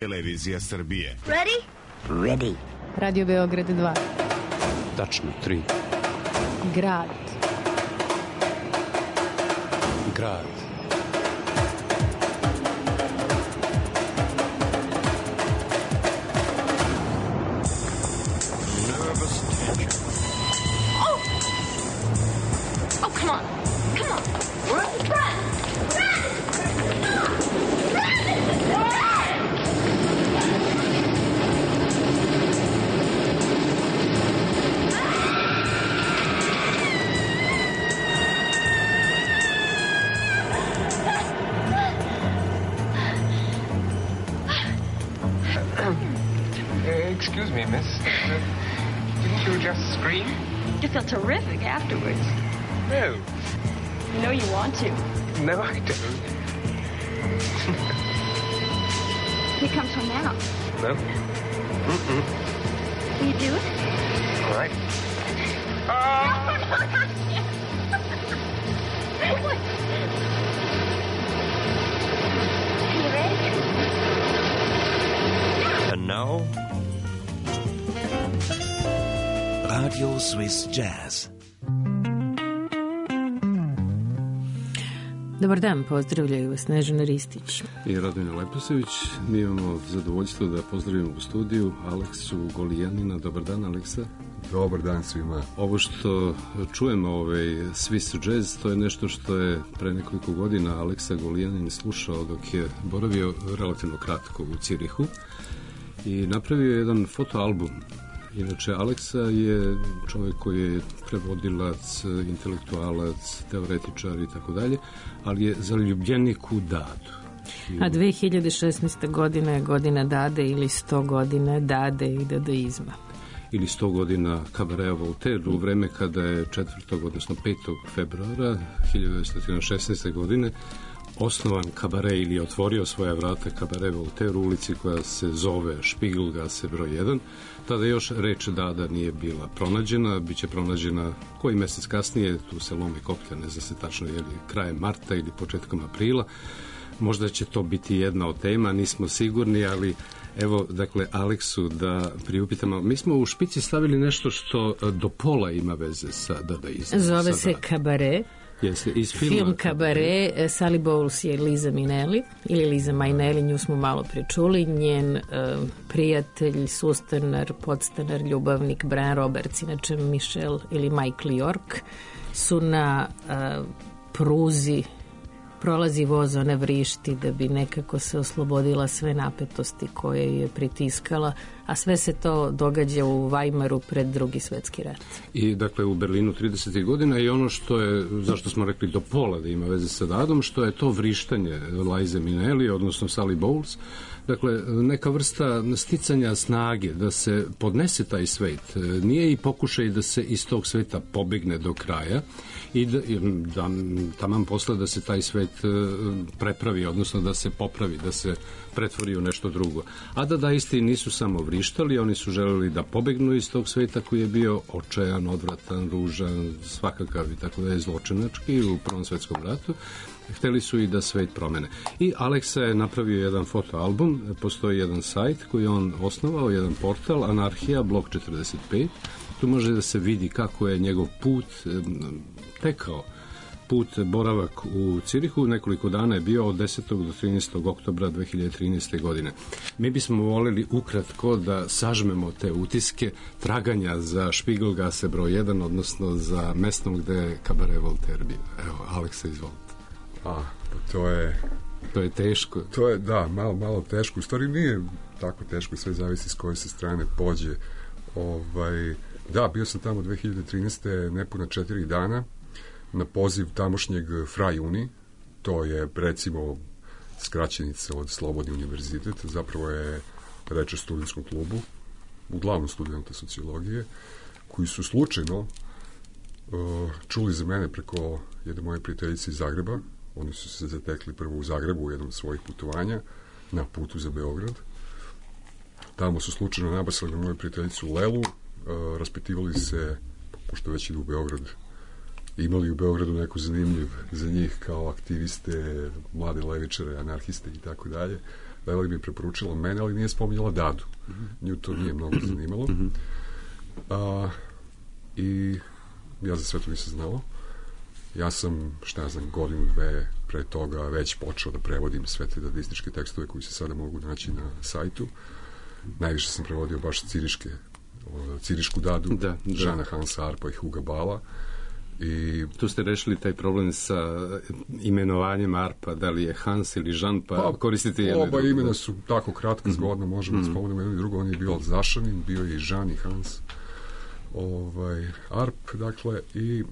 Televizija Srbije. Ready? Ready. Radio Beograd 2. Tačno 3. Grad. Grad. Nervous tension. Oh! Oh, come on. Come on. Run! Run! Excuse me, miss. Didn't you just scream? You feel terrific afterwards. No. You know you want to. No, I don't. Here comes one now. No. Mm-mm. Will you do it? All right. You ready? And now, Radio Swiss Jazz. Dobar dan, pozdravljaju vas Snežana Ristić i Radmila Leposević. Mi imamo zadovoljstvo da pozdravimo u studiju Aleksu Golijanina. Dobar dan, Aleksa. Dobar dan svima. Ovo što čujemo, Swiss Jazz, to je nešto što je pre nekoliko godina Aleksa Golijanin slušao dok je boravio relativno kratko u Cirihu i napravio jedan fotoalbum. Inače, Aleksa je čovjek koji je prevodilac, intelektualac, teoretičar i tako dalje, ali je zaljubljenik u dadu. A 2016. godina je godina dade ili 100 godina dade i dadaizma. Ili 100 godina Kabareja Voltaire, u vreme kada je 4. odnosno 5. februara 1916. godine osnovan kabare ili otvorio svoja vrata Kabare Voltaire u ulici koja se zove Špigelgasse broj 1. Tada još reč dada nije bila pronađena, bit će pronađena koji mesec kasnije, tu se lomi koplja, ne zna se tačno je li krajem marta ili početkom aprila. Možda će to biti jedna od tema, nismo sigurni, ali evo, dakle, Aleksu da priupitamo. Mi smo u špici stavili nešto što do pola ima veze sa dadaizmom. Zove se Kabare. Jeste, iz Film Kabare. Sally Bowles je Liza Minnelli ili Liza Minnelli, nju smo malo pričuli. Njen prijatelj, sustanar, podstanar, ljubavnik Brian Roberts, inače Michelle ili Michael York, su na pruzi, prolazi voz, ona vrišti da bi nekako se oslobodila sve napetosti koje je pritiskala, a sve se to događa u Weimaru pred Drugi svetski rat. I dakle u Berlinu 30. godina i ono što je, zašto smo rekli do pola da ima veze sa dadom, što je to vrištanje Lize Minnelli, odnosno Sally Bowles, dakle neka vrsta sticanja snage da se podnese taj svet. Nije i pokušaj da se iz tog sveta pobegne do kraja i da taman posle da se taj svet prepravi, odnosno da se popravi, da se pretvori u nešto drugo. A dadaisti nisu samo vrištali, oni su želeli da pobegnu iz tog sveta koji je bio očajan, odvratan, ružan, svakakav i tako da je zločinački u Prvom svetskom ratu. Hteli su i da svet promene. I Aleksa je napravio jedan fotoalbum, postoji jedan sajt koji on osnovao, jedan portal, Anarhija, blok 45. Tu može da se vidi kako je njegov put tekao. Put, boravak u Cirihu, nekoliko dana je bio od 10. do 13. oktobra 2013. godine. Mi bismo voleli ukratko da sažmemo te utiske traganja za Špigelgasse broj 1, odnosno za mestom gde je Kabare Voltaire bio. Evo, Aleksa, izvolite. To je teško. To je, da, malo teško. U stvari nije tako teško, sve zavisi s koje se strane pođe. Da, bio sam tamo 2013. nepuna 4 dana na poziv tamošnjeg Fra Uni, to je recimo skraćenica od Slobodni univerzitet, zapravo je reč o studentskom klubu, uglavnom studenta sociologije, koji su slučajno čuli za mene preko jedne moje prijateljice iz Zagreba. Oni su se zatekli prvo u Zagrebu u jednom od svojih putovanja na putu za Beograd. Tamo su slučajno nabasali na moju prijateljicu Lelu, raspitivali se, pošto već idu u Beograd, imali u Beogradu neko zanimljiv za njih kao aktiviste, mlade levičare, anarhiste i tako dalje, Leli mi je preporučila mene, ali nije spominjala Dadu. Nju to nije mnogo zanimalo. I ja za sve to nisam znao. Ja sam, šta ja znam, godinu, dve pre toga već počeo da prevodim sve te dadističke tekstove koji se sada mogu naći na sajtu. Najviše sam prevodio baš cirišku Dadu, Žana Hansa Arpa i Huga Bala. I tu ste rešili taj problem sa imenovanjem Arpa, da li je Hans ili Žan, pa koristite jedno. Oba imena su tako kratka, zgodno, možemo da spomenemo jedno i drugo. On je bio Alzašanin, bio je i Žan i Hans Arp, dakle, i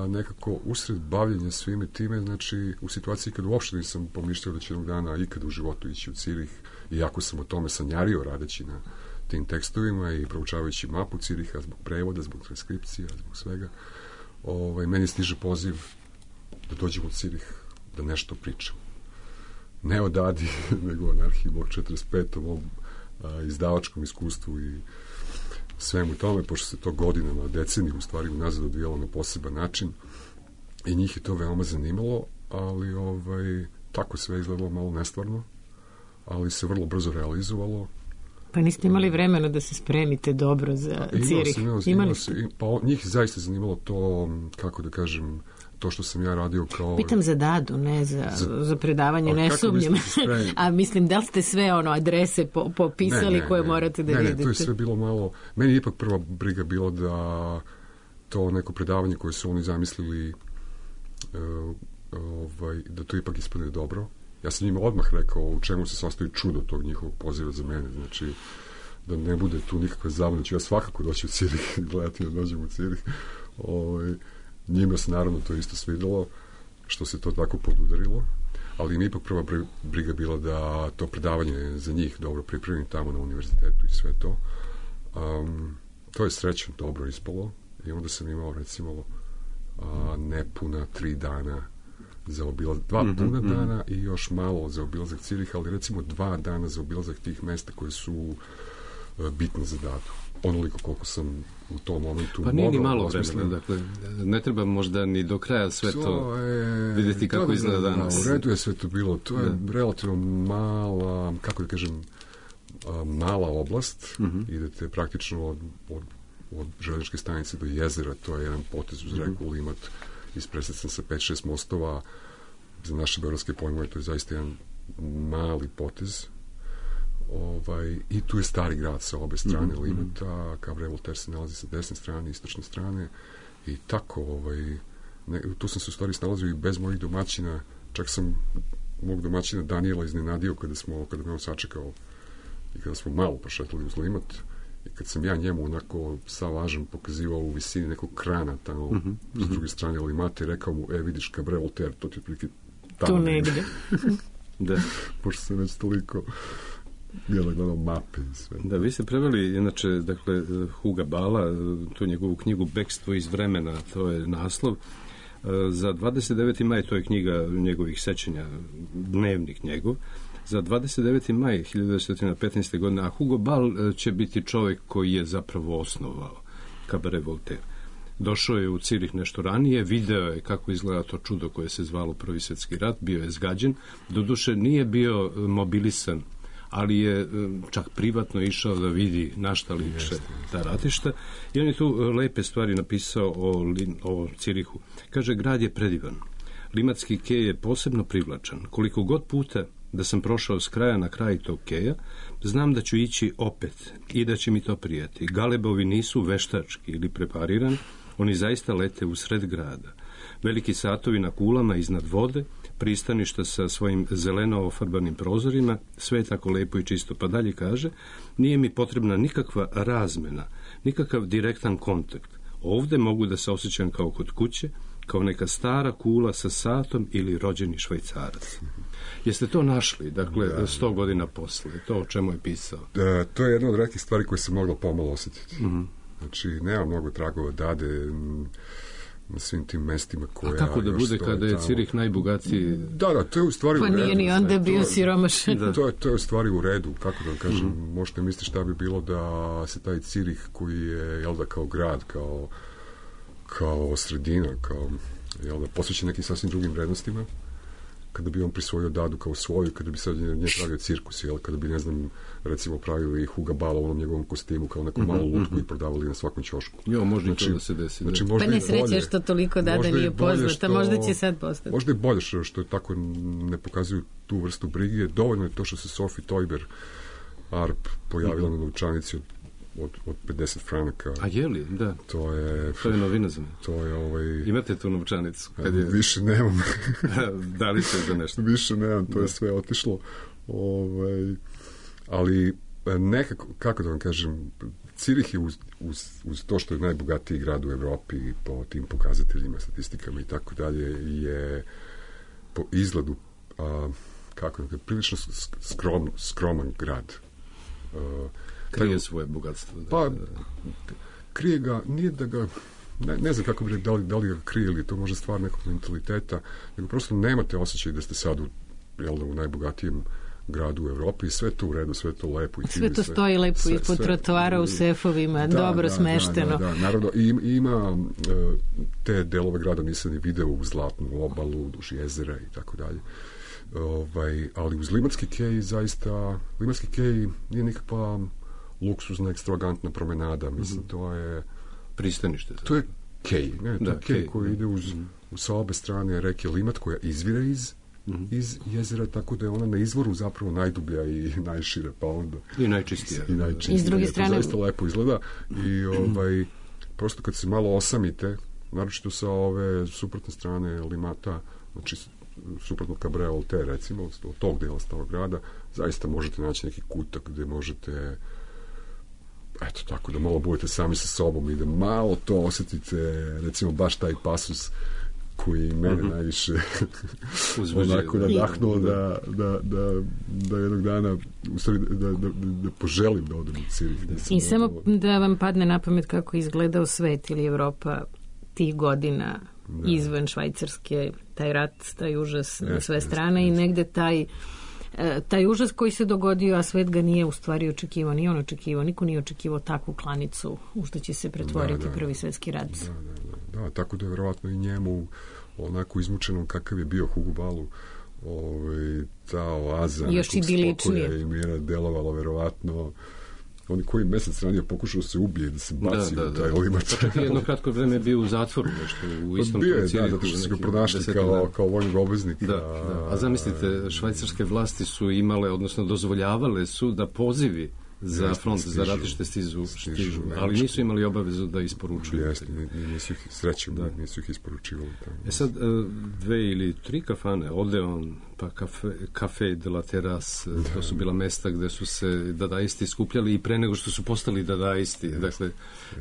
nekako usred bavljenja svime time, znači u situaciji kad uopšte nisam pomišljao da će jednog dana ikad u životu ići u Cirih, iako sam o tome sanjario radeći na tim tekstovima i proučavajući mapu Ciriha zbog prevoda, zbog transkripcija, zbog svega, meni stiže poziv da dođem u Cirih, da nešto pričam. Ne o Dadi, nego o Anarhiji blok 45, o mom izdavačkom iskustvu i svemu tome, pošto se to godinama, deceniju u stvari unazad odvijalo na poseban način i njih je to veoma zanimalo, ali tako sve izgledalo malo nestvarno, ali se vrlo brzo realizovalo. Pa niste imali vremena da se spremite dobro za Cirih? Imali ste? Pa njih zaista zanimalo to, kako da kažem, to što sam ja radio kao... Pitam za Dadu, ne za predavanje, ne sumnjam. A mislim, da li ste sve adrese popisali koje morate da vidite? Ne, to je sve bilo malo... Meni je ipak prva briga bilo da to neko predavanje koje su oni zamislili da to ipak ispadne dobro. Ja sam njima odmah rekao u čemu se sastoji čudo tog njihovog poziva za mene. Znači, da ne bude tu nikakve zabune. Ja svakako doći u Cirih, gledati da dođem u Cirih. Njima se naravno to isto svidelo, što se to tako podudarilo, ali mi ipak prva briga bila da to predavanje za njih dobro pripremim tamo na univerzitetu i sve to. To je srećno dobro ispalo i onda sam imao recimo nepuna 3 dana za obilazak, 2 puna dana i još malo za obilazak Ciriha, ali recimo 2 dana za obilazak tih mesta koje su bitne za Dadu. Onoliko koliko sam u tom momentu pa nije ni malo vremena, dakle, ne treba možda ni do kraja sve to vidjeti kako izgleda danas. U redu je sve to bilo, to je relativno mala, kako da kažem, mala oblast, idete praktično od železničke stanice do jezera, to je jedan potez uz reku Limat, ispresecan sa 5-6 mostova, za naše beogradske pojmove to je zaista jedan mali potez. I tu je stari grad sa obe strane Limata, Cabaret Voltaire se nalazi sa desne strane, istočne strane i tako, tu sam se u stvari snalazio i bez mojih domaćina, čak sam mog domaćina Daniela iznenadio kada me on sačekao i kada smo malo prošetali uz Limat i kad sam ja njemu onako sa lažem pokazivao u visini nekog krana tamo s druge strane Limata i rekao mu, vidiš Cabaret Voltaire, to ti otprilike tamo tu negde. Da. Pošto sam već toliko gledao mape i sve. Da, vi ste preveli, inače, dakle, Huga Bala, tu njegovu knjigu Bekstvo iz vremena, to je naslov. Za 29. maj, to je knjiga njegovih sećanja, dnevnik njegov, za 29. maj 1915. godine, a Hugo Ball će biti čovjek koji je zapravo osnovao Cabaret Voltaire. Došao je u Cirih nešto ranije, video je kako izgleda to čudo koje se zvalo Prvi svjetski rat, bio je zgađen, doduše nije bio mobilisan, ali je čak privatno išao da vidi na šta liče ta ratišta i on je tu lepe stvari napisao o Cirihu. Kaže, grad je predivan. Limatski kej je posebno privlačan. Koliko god puta da sam prošao s kraja na kraj tog keja, znam da ću ići opet i da će mi to prijati. Galebovi nisu veštački ili preparirani, oni zaista lete u sred grada. Veliki satovi na kulama iznad vode, pristaništa sa svojim zeleno ofarbanim prozorima, sve je tako lepo i čisto. Pa dalje kaže, nije mi potrebna nikakva razmena, nikakav direktan kontakt. Ovde mogu da se osjećam kao kod kuće, kao neka stara kula sa satom ili rođeni Švajcarac. Jeste to našli, dakle, 100 godina posle, to o čemu je pisao? To je jedna od retkih stvari koje se moglo pomalo osjetiti. Znači, nema mnogo tragova Dade na svim tim mestima koja... A kako da bude kada je Cirih najbogatiji? Da, to je u stvari u redu. Pa nije ni onda bio siromašan. To je u stvari u redu, kako da kažem, možete misliti šta bi bilo da se taj Cirih koji je, jel da, kao grad, kao sredina, kao, jel da, posvećen nekim sasvim drugim vrednostima, kada bi on prisvojio Dadu kao svoju, kada bi sad nje pravio cirkus, jel? Kada bi, ne znam, recimo pravili Huga Bala u onom njegovom kostimu kao neku malu lutku i prodavali na svakom ćošku. Jo, možda i to da se desi. Znači, Pa ne sreće što toliko Dada nije poznata, možda će sad postati. Možda je bolje što je tako ne pokazuju tu vrstu brige. Dovoljno je to što se Sophie Teuber Arp pojavila na novčanici od 50 franaka. A je li? Da. To je novina za me. To je Imate tu novčanicu? Više nemam. Da li se za nešto? Više nemam, to je sve otišlo. Ali nekako, kako da vam kažem, Cirih je uz to što je najbogatiji grad u Evropi po tim pokazateljima, statistikama i tako dalje, je po izgledu kako da, prilično skroman grad. Krije svoje bogatstvo. Pa, krije ga, nije da ga, ne znam kako bi rekao, da li ga krije ili to može stvar nekog mentaliteta, nego prosto nemate osjećaj da ste sad u najbogatijem gradu u Evropi i sve to u redu, sve to lepo. I sve to stoji lepo ispod trotoara u sefovima, dobro smešteno. Da, naravno, ima te delove grada nisam ni video u Zlatnu obalu, duž jezera i tako dalje. Ali uz Limanski kej zaista, Limanski kej nije nikakva luksuzna, ekstravagantna promenada, mislim, to je pristanište. To je kej, ne, to je kej koji ide sa obe strane reke Limat, koja izvire iz jezera, tako da je ona na izvoru zapravo najdublja i najšira, pa onda i najčistija. I s druge strane to zaista lepo izgleda i prosto kad se malo osamite, naročito sa ove suprotne strane Limata, znači suprotno Cabrera Voltaire, recimo, od tog dela starog grada, zaista možete naći neki kutak gde možete eto tako, da malo budete sami sa sobom i da malo to osjetite, recimo baš taj pasus koji mene najviše onako nadahnuo da jednog dana u stvari da poželim da odem u Cirih. I samo da vam padne na pamet kako izgledao svet ili Evropa tih godina izvan Švajcarske, taj rat, taj užas na sve strane i negde taj užas koji se dogodio, a svet ga nije u stvari očekivao, nije on očekivao, niko nije očekivao takvu klanicu u što će se pretvoriti Prvi svjetski rat. Da, tako da je verovatno i njemu onako izmučenom kakav je bio Hugo Balu, ta oaza još nekog spokoja i mira delovala verovatno. On koji mesec ranije pokušao se ubije, da se baci u taj Limac. Pa čak i jedno kratko vreme je bio u zatvoru, nešto u istom Cirihu. Zato što su ga pronašli kao vojnog obveznika. A zamislite, švajcarske vlasti su imale, odnosno dozvoljavale su da pozivi za front, za ratište stižu, ali nisu imali obavezu da isporučuju. Nisu ih srećom, nisu ih isporučivali. Sad, 2 ili 3 kafane, Odeon, pa Café de la Terrasse, to su bila mesta gde su se dadaisti skupljali i pre nego što su postali dadaisti. Dakle,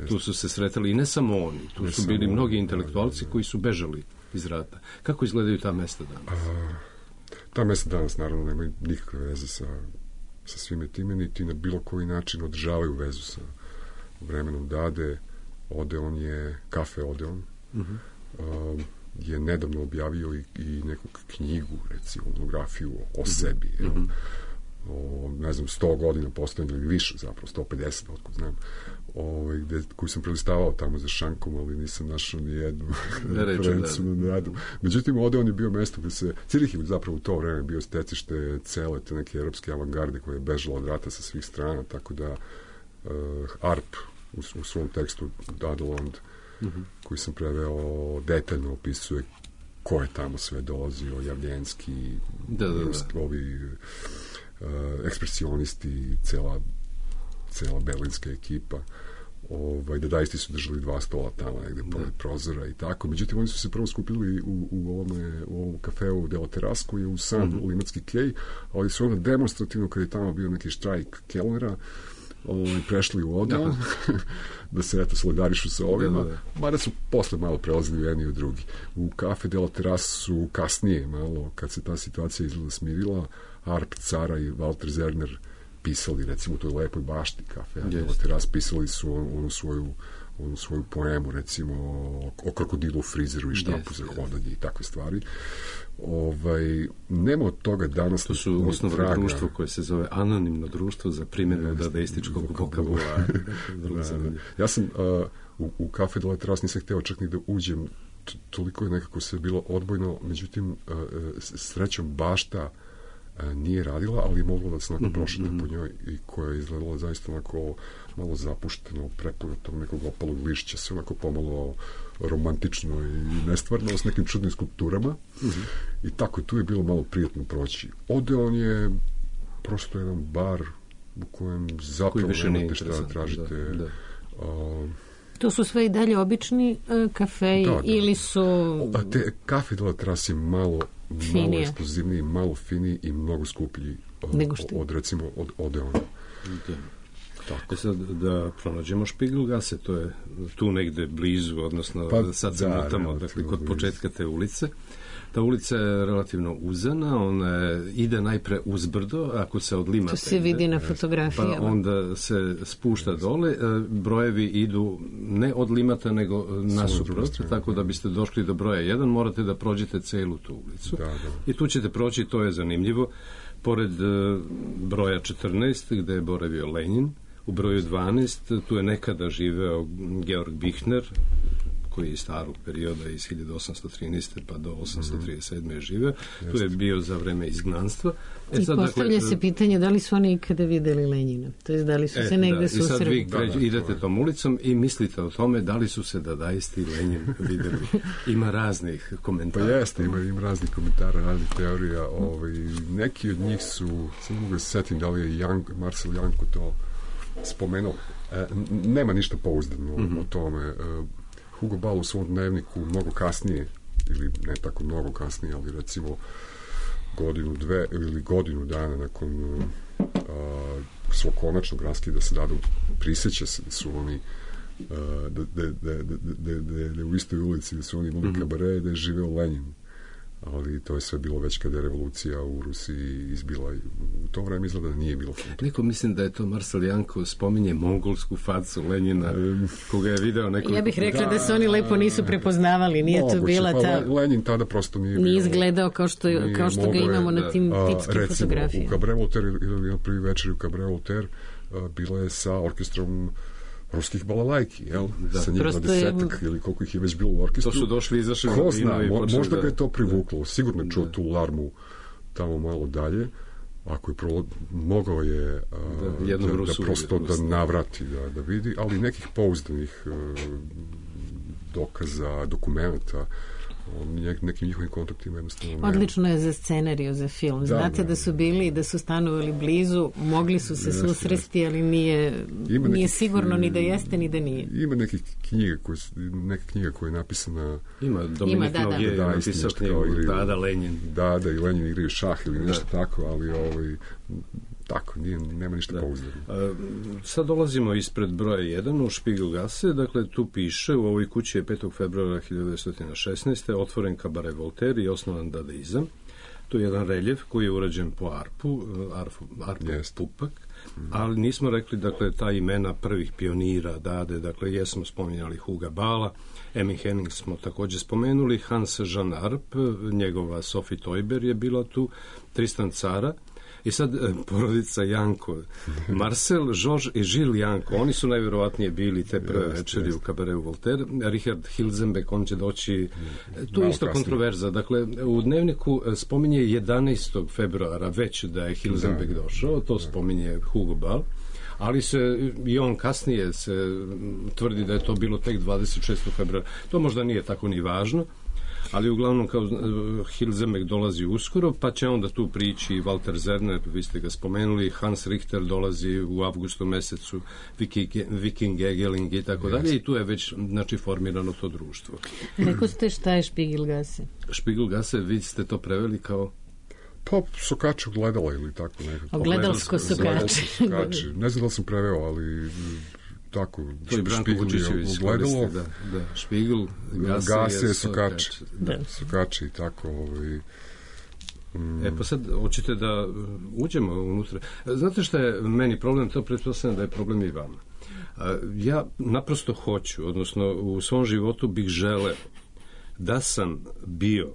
tu su se sretali i ne samo oni, tu su bili mnogi intelektualci koji su bežali iz rata. Kako izgledaju ta mesta danas? Ta mesta danas, naravno, nemaju nikakve veze sa svime time, niti na bilo koji način održavaju vezu sa vremenom Dade. Odeon je, Kafe Odeon, je nedavno objavio i neku knjigu, recimo, monografiju o sebi, o, ne znam, 100 godina postojanja ili više, zapravo 150, otkud znam, koju sam prelistavao tamo za šankom, ali nisam našao ni jednu referencu na Dadu. Međutim, Odeon je bio mesto gde se, Cirih je zapravo u to vreme bio stecište cele te neke evropske avangarde koja je bežala od rata sa svih strana, tako da Arp u svom tekstu Dadeland, koji sam preveo, detaljno opisuje ko je tamo sve dolazio, Javljenski, ovi ekspresionisti, cela berlinska ekipa, dadaisti su držali 2 stola tamo negde pored prozora i tako. Međutim, oni su se prvo skupili u ovom kafeu de la Terrasse koji je u sam Limatski kej, ali su onda demonstrativno, kad je tamo bio neki štrajk kelnera, prešli u Odeon da se eto solidarišu sa ovima, mada su posle malo prelazili u jedni i u drugi. U Café de la Terrasse su kasnije malo, kad se ta situacija izgleda smirila, Arp, Cara i Walter Zerner pisali, recimo, u toj lepoj bašti Café de la Terrasse, pisali su onu svoju poemu, recimo, o krokodilu, frizeru i štapu za hodanje i takve stvari. Nema od toga danas. To su osnovno društvo koje se zove Anonimno društvo za primjenu dadaističkog vokabulara. Ja sam u Café de la Terrasse nisam hteo čak ni da uđem toliko je nekako sve bilo odbojno, međutim, srećom bašta nije radila, ali je mogla da se onako prošete po njoj i koja je izgledala zaista onako malo zapušteno, prepuno tog nekog opalog lišća, sve onako pomalo romantično i nestvarno s nekim čudnim skulpturama. I tako, tu je bilo malo prijatno proći. Odeon je prosto jedan bar u kojem zapravo nemate šta tražite. Da. To su sve i dalje obični kafeji ili su... Te kafe de la Terrasse je malo ekskluzivniji, malo finiji i mnogo skuplji od recimo od Odeona. Tako. Sad da pronađemo Spiegelgasse, to je tu negde blizu, odnosno sad se motamo, dakle, kod početka te ulice. Ta ulica je relativno uzana, ona ide najpre uzbrdo, ako se od Limata... To se vidi na fotografijama. Pa onda se spušta dole, brojevi idu ne od Limata, nego nasuprot, tako da biste došli do broja 1, morate da prođete celu tu ulicu. I tu ćete proći, to je zanimljivo, pored broja 14, gde je boravio Lenin, u broju 12, tu je nekada živeo Georg Büchner, koji je iz starog perioda, iz 1813. pa do 837. je živeo. Tu je bio za vreme izgnanstva. I postavlja se pitanje da li su oni ikada videli Lenjina? To je da li su se negde susreli? I sad vi idete tom ulicom i mislite o tome da li su se Dadaisti i Lenjin videli. Ima raznih komentara. Pa jeste, ima raznih komentara, raznih teorija. Neki od njih su, sam mogu da se setim da li je Marcel Janko to spomenuo. Nema ništa pouzdano o tome. Hugo Ball u svom dnevniku mnogo kasnije, ili ne tako mnogo kasnije, ali recimo godinu dana nakon svog konačnog raskida sa Dadom, prisjeća se da su oni da u istoj ulici da su oni imali kabare, da je živeo Lenin. Ali to je sve bilo već kada je revolucija u Rusiji izbila. U to vreme izgleda da nije bilo foto. Neko mislim da je to Marcel Janko spominje mongolsku facu Lenjina, koga je video neko... Ja bih rekla da se oni lepo nisu prepoznavali, nije to bila ta... Lenin tada prosto nije bio... Nije izgledao kao što ga imamo na tim tipskim fotografijama. Recimo, u Cabaret Voltaire, ili prvi večer u Cabaret Voltaire, bila je sa orkestrom ruskih balalajki, jel? Sa njih 20 ili koliko ih je već bilo u orkestru. To su došli, izašli ko zna, možda ga je to privuklo. Sigurno je čuo tu larmu tamo malo dalje. Ako je mogao je da prosto da navrati, da vidi, ali nekih pouzdanih dokaza, dokumenta, nekim njihovim kontaktima jednostavno. Odlično je za scenariju, za film. Znate da su bili, da su stanovali blizu, mogli su se susresti, ali nije sigurno ni da jeste, ni da nije. Ima neke knjige koje je napisana... Ima Dominik Noge, napisao knjigu Dada Lenin. Dada i Lenin igraju šah ili nešto tako, ali tako, nema ništa pouzdano. Sad dolazimo ispred broja 1 u Spiegelgasse, dakle tu piše, u ovoj kući je 5. februara 1916. otvoren Cabaret Voltaire i osnovan dadaizam. To je jedan reljef koji je urađen po Arpu Pupak, ali nismo rekli, dakle, ta imena prvih pionira Dade, dakle, jesmo spominjali Huga Balla, Emmy Henning smo također spomenuli, Hans Jean Arp, njegova Sophie Teuber je bila tu, Tristan Tzara, i sad porodica Janko, Marcel, Georges i Gilles Janko, oni su najvjerovatnije bili te prve večeri u Cabaretu Voltaire. Richard Hilzenbeck, on će doći, tu je isto kontroverza. Dakle, u dnevniku spominje 11. februara već da je Hilzenbeck došao, to spominje Hugo Ball, ali i on kasnije se tvrdi da je to bilo tek 26. februara. To možda nije tako ni važno, ali uglavnom kao Hilzenbeck dolazi uskoro, pa će onda tu prići Walter Zerner, vi ste ga spomenuli, Hans Richter dolazi u avgustu mesecu, Viking Egeling i tako dalje, i tu je već, znači, formirano to društvo. Rekao ste šta je Spiegelgasse? Spiegelgasse, vi ste to preveli kao... Pa, sokače ogledala ili tako nekako. Ogledalsko sokače. Ne znam da li sam preveo, ali... tako, to je Branko Vučićević ogledalo, Špigel, Gase je sokači i tako. Pa sad, hoćete da uđemo unutra. Znate šta je meni problem? To pretpostavljam da je problem i vama. Ja naprosto hoću, odnosno u svom životu bih želeo da sam bio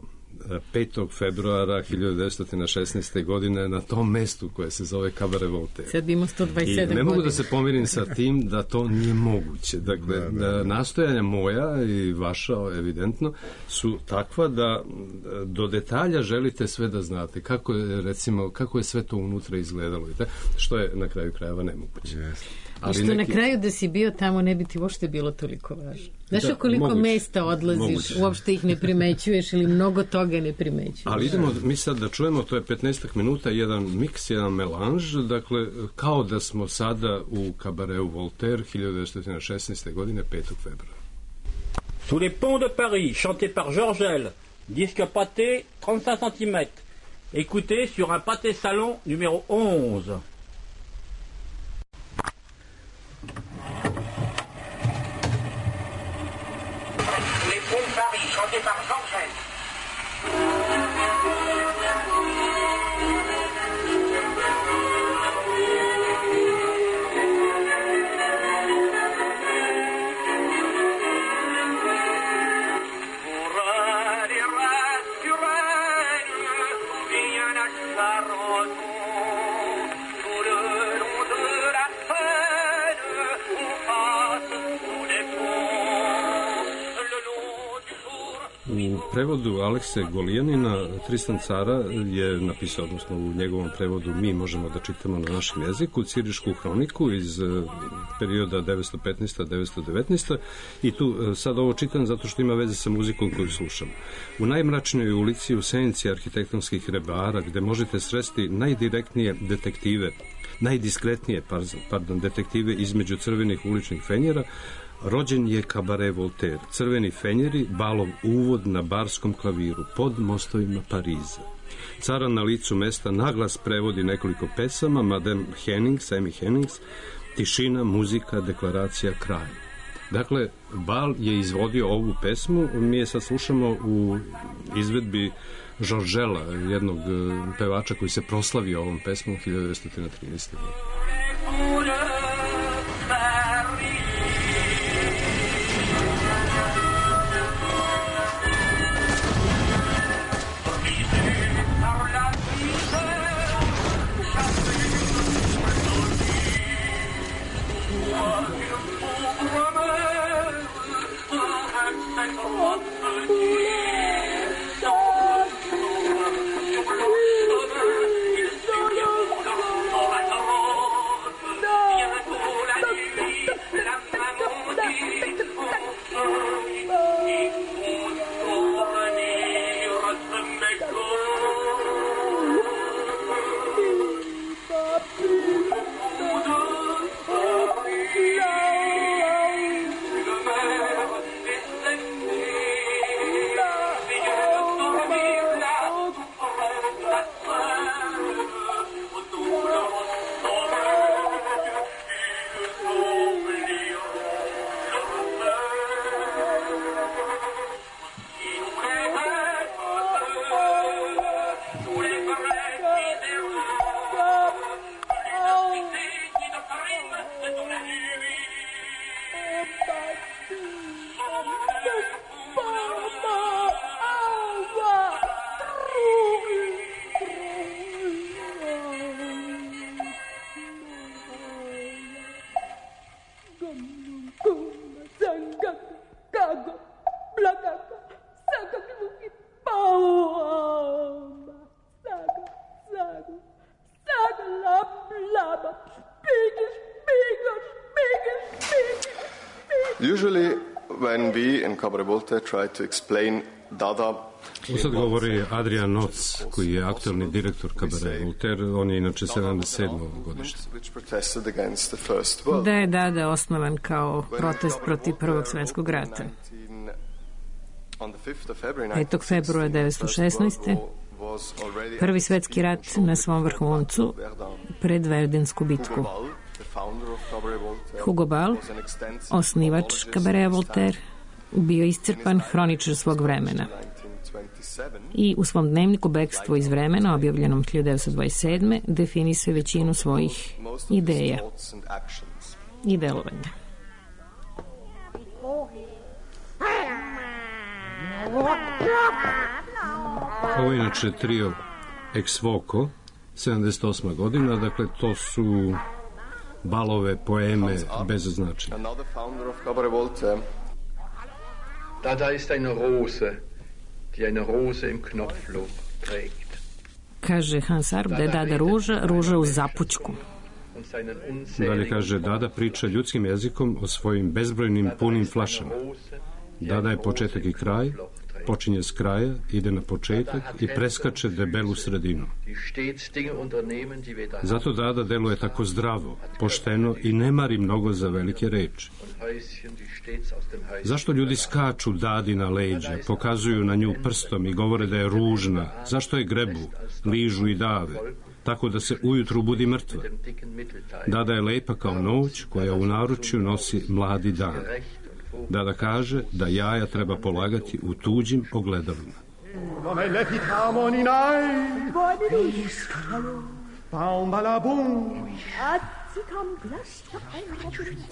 5. februara 1916. godine na tom mestu koje se zove Cabaret Voltaire. Sad bi imao 127 godina. I ne mogu da se pomirim sa tim da to nije moguće. Dakle, nastojanja moja i vaša, evidentno, su takva da do detalja želite sve da znate. Kako je, recimo, kako je sve to unutra izgledalo, što je na kraju krajeva nemoguće. Ali što na kraju da si bio tamo ne bi ti uopšte bilo toliko važno. Znaš koliko mesta odlaziš, uopšte ih ne primećuješ ili mnogo toga ne primećuješ. Ali idemo mi sad da čujemo, to je 15 minuta, jedan miks, jedan melanž, dakle, kao da smo sada u Cabareu Voltaire 1916. godine, 5. februara. Sous les ponts de Paris, chanté par Georgel, disque pâté, 35 cm. Écoutez sur un pâté salon numéro 11. Chanté par Georgel. U prevodu Alekse Golijanina Tristan Cara je napisao, odnosno u njegovom prevodu mi možemo da čitamo na našem jeziku, Cirišku hroniku iz perioda 915-919 i tu sad ovo čitam zato što ima veze sa muzikom koju slušam. U najmračnijoj ulici u senci arhitektonskih rebara gde možete sresti najdirektnije detektive, najdiskretnije, detektive između crvenih uličnih fenjera, rođen je Cabaret Voltaire, crveni fenjeri, balov uvod na barskom klaviru, pod mostovima Pariza. Cara na licu mesta naglas prevodi nekoliko pesama, Madame Hennings, Amy Hennings, tišina, muzika, deklaracija, kraj. Dakle, Bal je izvodio ovu pesmu, mi je sad slušamo u izvedbi Georgela, jednog pevača koji se proslavio ovom pesmom 1913. godine. Usually when we in Cabaret Voltaire try to explain Dada. Sad govori Adrian Noc, koji je aktualni direktor Cabaret Voltaire, on je inače 77. godište. Da je Dada osnovan kao protest protiv Prvog svetskog rata. 5. februara 1916. Prvi svetski rat na svom vrhuncu pred Verdensku bitku. Hugo Ball, osnivač Cabareta Voltaire, bio iscrpan hroničar svog vremena. I u svom dnevniku Bekstvo iz vremena, objavljenom 1927. definisuje većinu svojih ideja i delovanja. Ovo je inače trio Ex Voco, 78. godina, dakle to su balove, poeme bez značenja. Another founder of Cabaret Voltaire. Da ist eine Rose, die eine Rose im Knopfloch trägt. Kaže Hans Arp da je Dada ruža u zapućku. Dalje kaže, Dada priča ljudskim jezikom o svojim bezbrojnim punim flašama. Dada je početak i kraj, počinje s kraja, ide na početak i preskače debelu sredinu. Zato Dada deluje tako zdravo, pošteno i ne mari mnogo za velike reči. Zašto ljudi skaču Dadi na leđa, pokazuju na nju prstom i govore da je ružna? Zašto je grebu, ližu i dave, tako da se ujutru budi mrtva? Dada je lepa kao noć koja u naručju nosi mladi dan. Dada kaže da jaja treba polagati u tuđim ogledalima.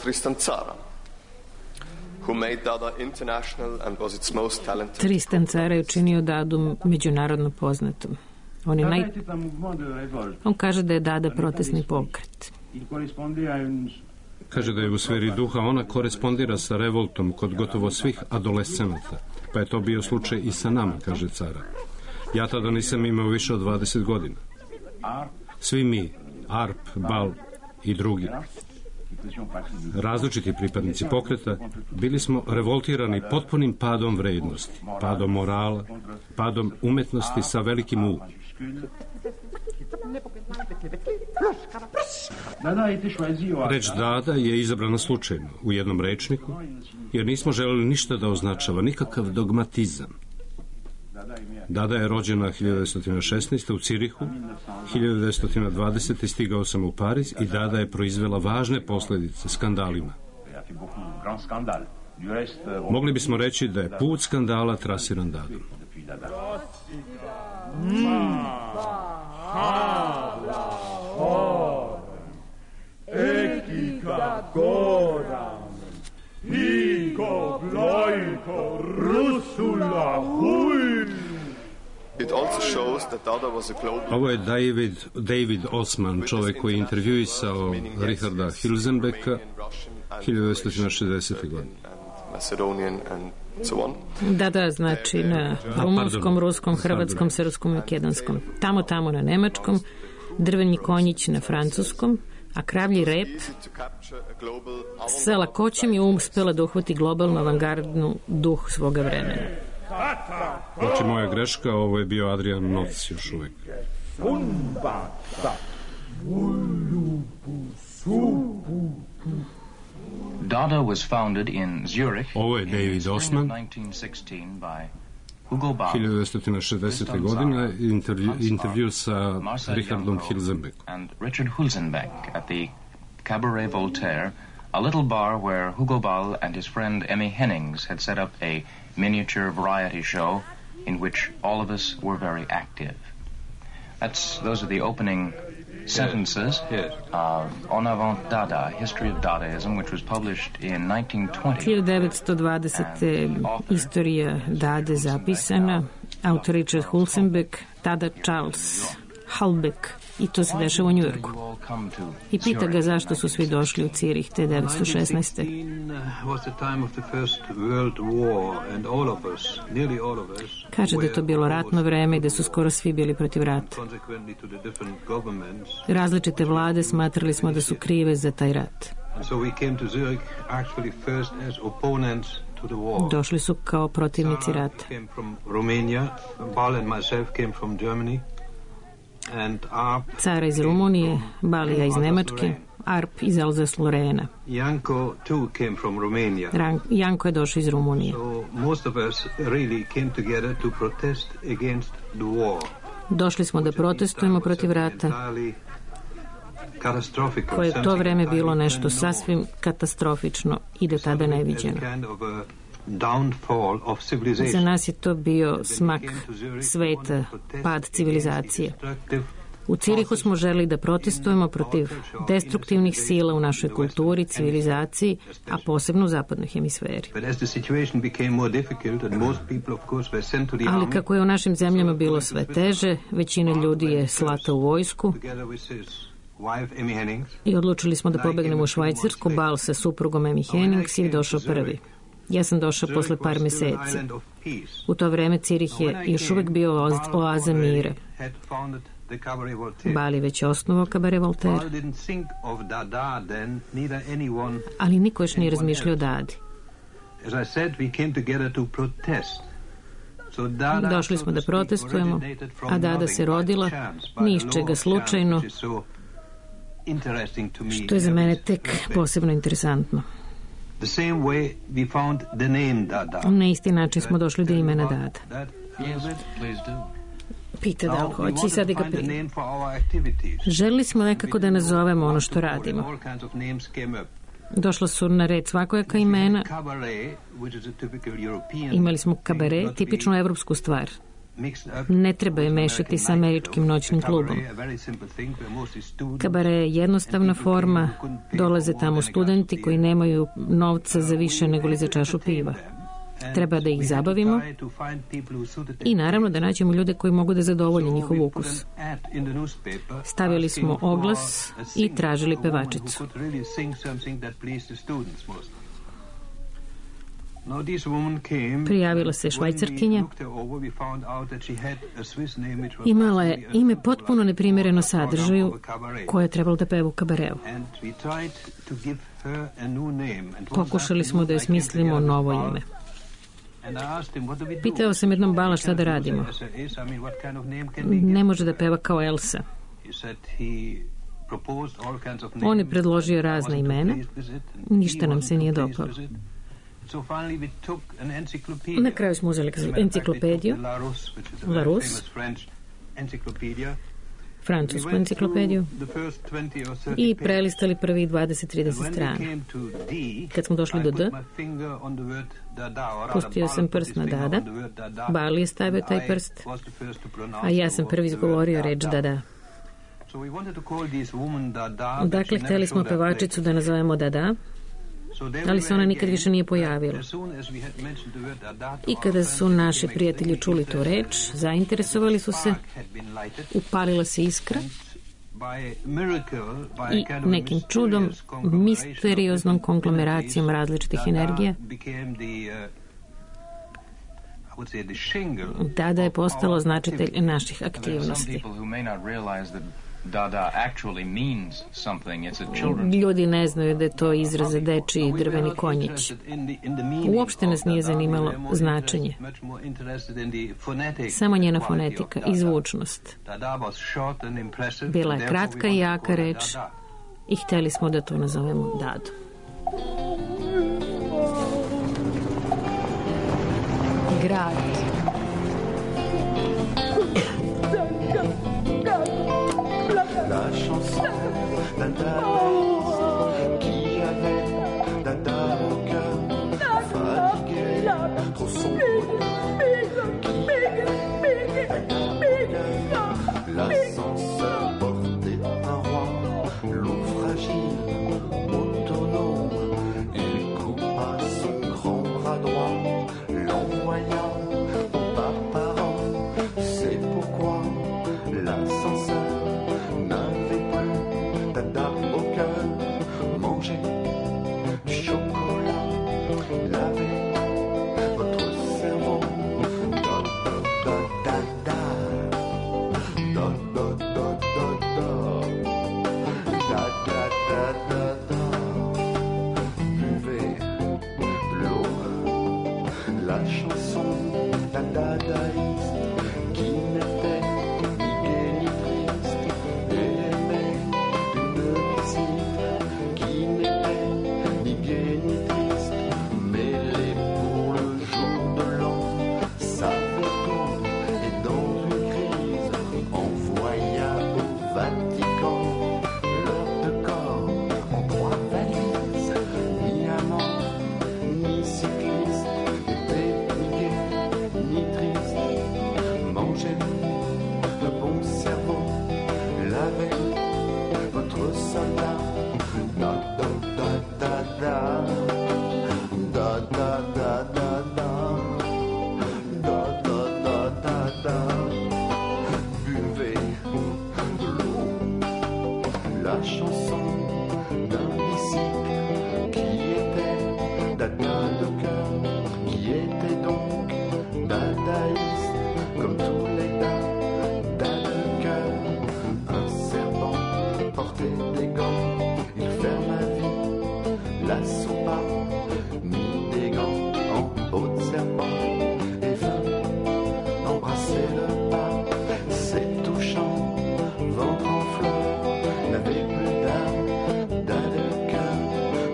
Tristan Tzara, who made Dada international and was its most talented. Tristan Tzara je učinio Dadu međunarodno poznatom. On kaže da je Dada protestni pokret. Kaže da je u sferi duha ona korespondira sa revoltom kod gotovo svih adolescenata. Pa je to bio slučaj i sa nama, kaže Tzara. Ja tada nisam imao više od 20 godina. Svi mi, Arp, Bal i drugi, različiti pripadnici pokreta, bili smo revoltirani potpunim padom vrednosti, padom morala, padom umetnosti sa velikim U. Reč Dada je izabrana slučajno u jednom rečniku, jer nismo želeli ništa da označava, nikakav dogmatizam. Dada je rođena 1916. u Cirihu, 1920. stigao sam u Pariz i Dada je proizvela važne posljedice skandalima. Mogli bismo reći da je put skandala trasiran Dadom. It also shows that Dada was a global. Ovo je David Osman, čovjek koji je intervjuisao Richarda Hilzenbecka 1960. godine. Macedonian and so on. Da, znači na rumunskom, ruskom, hrvatskom, srpskom i makedonskom. Tamo na nemačkom, drveni konjić na francuskom, a kravlji rep sa lakoćem je uspela da uhvati globalno avangardnu duh svoga vremena. Znači, moja greška, ovo je bio Adrian Noc još uvijek. Dada was founded in Zurich. Ovo je David Osman, 1960. godine, intervju sa Richardom Hilzenbeckom. And Richard Hulzenbeck at the Cabaret Voltaire, a little bar where Hugo Ball and his friend Emmy Hennings had set up a miniature variety show in which all of us were very active. Those are the opening sentences of En Avant Dada, History of Dadaism, which was published in 1920. 1920. Istorija Dade zapisana, autor Richard Hulzenbeck, tada Charles Halbeck, i to se dešava u Njujorku. I pita ga zašto su svi došli u Cirih te 1916. Kaže da je to bilo ratno vreme i da su skoro svi bili protiv rata. Različite vlade smatrali smo da su krive za taj rat. Došli su kao protivnici rata. Tzara iz Rumunije, Balija iz Nemačke, Arp iz Alsace-Lorena. Janko je došao iz Rumunije. Došli smo da protestujemo protiv rata, koje je to vreme bilo nešto sasvim katastrofično i do tada neviđeno. Za nas je to bio smak sveta, pad civilizacije. U Cirihu smo želeli da protestujemo protiv destruktivnih sila u našoj kulturi, civilizaciji, a posebno u zapadnoj hemisferi. Ali kako je u našim zemljama bilo sve teže, većina ljudi je slata u vojsku i odlučili smo da pobegnemo u Švajcarsku. Bal sa suprugom Amy Hennings je došao prvi. Ja sam došao posle par meseci. U to vreme Cirih je još uvek bio oaza mira. Bal je već osnovao Cabaret Voltaire. Ali niko još nije razmišljao o Dadi. Došli smo da protestujemo, a Dada se rodila, ni iz čega slučajno, što je za mene tek posebno interesantno. Na isti način smo došli do imena Dada. Pita da li hoće i sad ga prije. Želili smo nekako da nazovemo ono što radimo. Došla su na red svakojaka imena. Imali smo kabaret, tipičnu evropsku stvar. Ne treba je mešati sa američkim noćnim klubom. Kabaret je jednostavna forma, dolaze tamo studenti koji nemaju novca za više nego li za čašu piva. Treba da ih zabavimo i naravno da nađemo ljude koji mogu da zadovolje njihov ukus. Stavili smo oglas i tražili pevačicu. Prijavila se Švajcarkinja. Imala je ime potpuno neprimjereno sadržaju koje je trebalo da peva u kabareu. Pokušali smo da joj smislimo novo ime. Pitao sam jednom Bala šta da radimo. Ne može da peva kao Elsa. On je predložio razna imena. Ništa nam se nije dopalo. Na kraju smo uzeli enciklopediju Larousse, francusku enciklopediju i prelistali prvi 20-30 strana. Kad smo došli do D, pustio sam prst na Dada, Bali je stavio taj prst, a ja sam prvi izgovorio reč Dada. Dakle, hteli smo pevačicu da nazovemo Dada, ali se ona nikad više nije pojavila. I kada su naši prijatelji čuli tu reč, zainteresovali su se, upalila se iskra i nekim čudom, misterioznom konglomeracijom različitih energija, Dada je postalo značitelj naših aktivnosti. Ljudi ne znaju da je to izraz za dečiji drveni konjić. Uopšte nas nije zanimalo značenje. Samo njena fonetika i zvučnost. Bila je kratka i jaka reč i hteli smo da to nazovemo Dadu. Grad. La chanson Dada qui avait Dada au cœur, fatigué, trop sombre, l'ascenseur portait un roi, l'eau fragile, autonome, il coupa son grand bras droit, l'envoya au bas parent, c'est pourquoi l'ascenseur n'avait plus Dada au cœur, manger du chocolat, laver votre cerveau. Da da da da da da da da da da da da da. Buvez l'eau, la chanson d'un dadaïste qui n'était ni gai ni triste. Qui n'était l'assaut pas, ni des gants en peau de serpent, et vint embrasser le pas. C'est touchant, ventre en fleurs, n'avez plus d'âme, d'âme de cœur,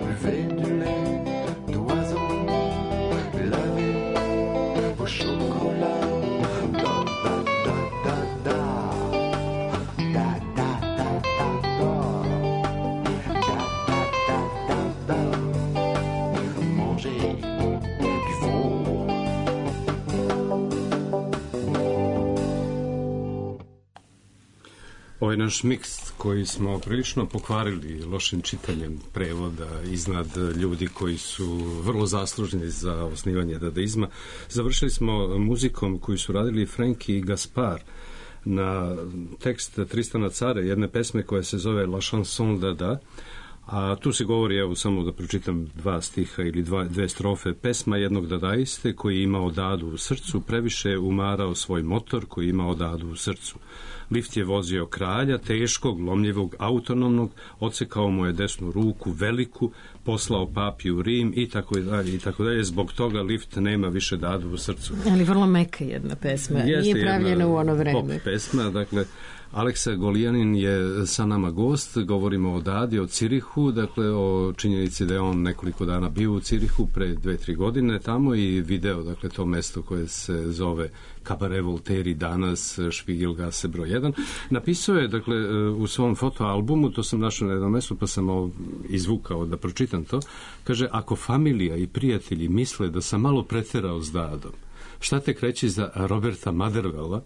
buvez du lait d'oiseau, lavez vos chocolats. Ovaj naš miks koji smo prilično pokvarili lošim čitanjem prevoda iznad ljudi koji su vrlo zaslužni za osnivanje dadaizma, završili smo muzikom koju su radili Frankie i Gaspar na tekst Tristana Tzara, jedne pesme koja se zove La chanson dada, a tu se govori, evo samo da pročitam dva stiha ili dve strofe. Pesma jednog dadaiste koji je imao dadu u srcu, previše umarao svoj motor koji je imao dadu u srcu. Lift je vozio kralja, teškog, lomljivog, autonomnog, odsekao mu je desnu ruku, veliku, poslao papi u Rim i tako dalje i tako dalje. Zbog toga lift nema više dadu u srcu. Ali vrlo meka jedna pesma. Jeste, nije pravljena u ono vreme. Pop pesma, dakle, Aleksa Golijanin je sa nama gost, govorimo o dadi, o Cirihu, dakle o činjenici da je on nekoliko dana bio u Cirihu pre 2-3 godine tamo i video, dakle, to mesto koje se zove Cabaret Voltaire danas, Špigilgase broj 1. Napisao je, dakle, u svom fotoalbumu, to sam našao na jednom mestu, pa sam izvukao da pročitam to, kaže, ako familija i prijatelji misle da sam malo preterao s dadom, šta tek reći za Roberta Motherwella,